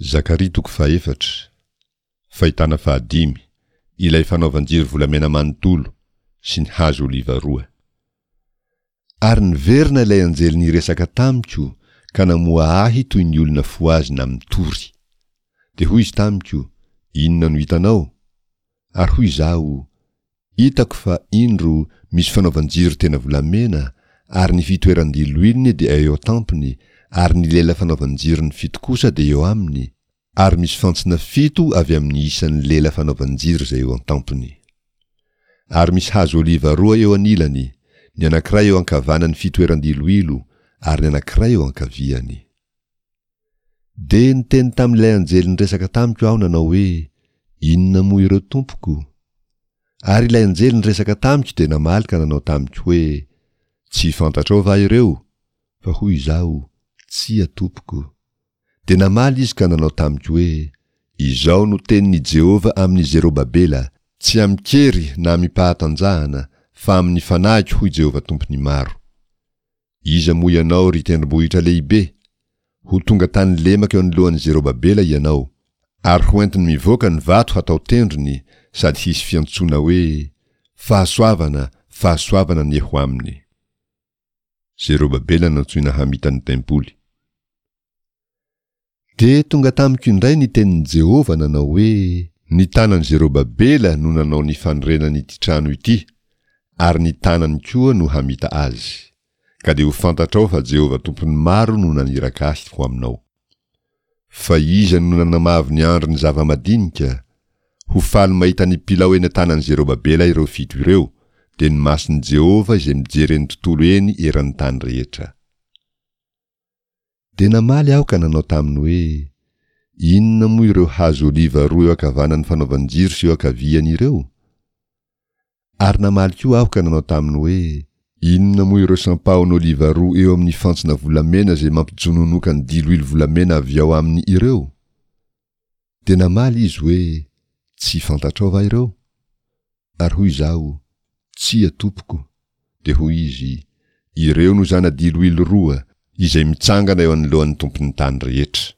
Zakaria toko fahefatra, Fahitana fahadimy, ilay fanaovan-jiro volamena manontolo sy ny hazo oliva roa. Ary niverina ilay anjely niresaka tamiko ka namoha ahy toy ny olona fohazina mitory. Dia hoy izy tamiko, Inona no hitanao? Ary hoy izaho, Hitako fa, indro, misy fanaovan-jiro tena volamena, ary ny fitoeran-diloilony dia eo an-tampony, ary ny lela fanaovan-jirony fito kosa dia eo aminy, ary misy fantsona fito avy amin'ny isan'ny lela fanaovan-jiro izay eo an-tampony. Ary misy hazo oliva roa eo anilany, ny anankiray eo ankavanan'ny fitoeran-diloilo, ary ny anankiray eo ankaviany. Dia niteny tamin'ilay anjely niresaka tamiko aho nanao hoe, Inona moa ireo tompoko? Ary ilay anjely niresaka tamiko dia namaly ka nanao tamiko hoe, Tsy fantatrao va ireo? Fa hoy izaho, Tsia, tompoko. Dia namaly izy ka nanao tamiko hoe, Izao no tenin'i Jehovah amin'i Zerobabela, Tsy amin-kery na amim-pahatanjahana, fa amin'ny fanahiko, hoy Jehovah Tompon'ny maro. Iza moa ianao, ry tendrombohitra lehibe? Ho tonga tany lemaka eo anoloan'i Zerobabela ianao, ary hoentiny mivoaka ny vato hatao tendrony, sady hisy fiantsoana hoe, Fahasoavana, fahasoavana anie ho aminy. Zerobabela nantsoina hamita ny tempoly. Dia tonga tamiko indray ny tenin'i Jehovah nanao hoe. Ny tanan'i Zerobabela no nanao ny fanorenan'ity trano ity, ary ny tanany koa no hamita azy. Ka dia ho fantatrao fa Jehovah Tompon'ny maro no naniraka ahy ho aminao. Fa iza no nanamavo ny andron'ny zava-madinika? Ho faly mahita ny pilao eny an-tanan'i Zerobabela ireo fito ireo, dia ny mason'i Jehovah izay mijery eny tontolo eny eran'ny tany rehetra. Dia namaly aho ka nanao taminy hoe, Inona moa ireo hazo oliva roa eo ankavanan'ny fanaovan-jiro sy eo ankaviany ireo? Ary namaly koa aho ka nanao taminy hoe, Inona moa ireo sampahon'oliva roa eo amin'ny fantsona volamena izay mampijononoka ny diloilo volamena avy ao aminy ireo? Dia namaly izy hoe, Tsy fantatrao va ireo? Ary hoy izaho, Tsia, tompoko. Dia hoy izy, Ireo no zana-diloilo roa, izay mitsangana eo anoloan'ny Tompon'ny tany rehetra.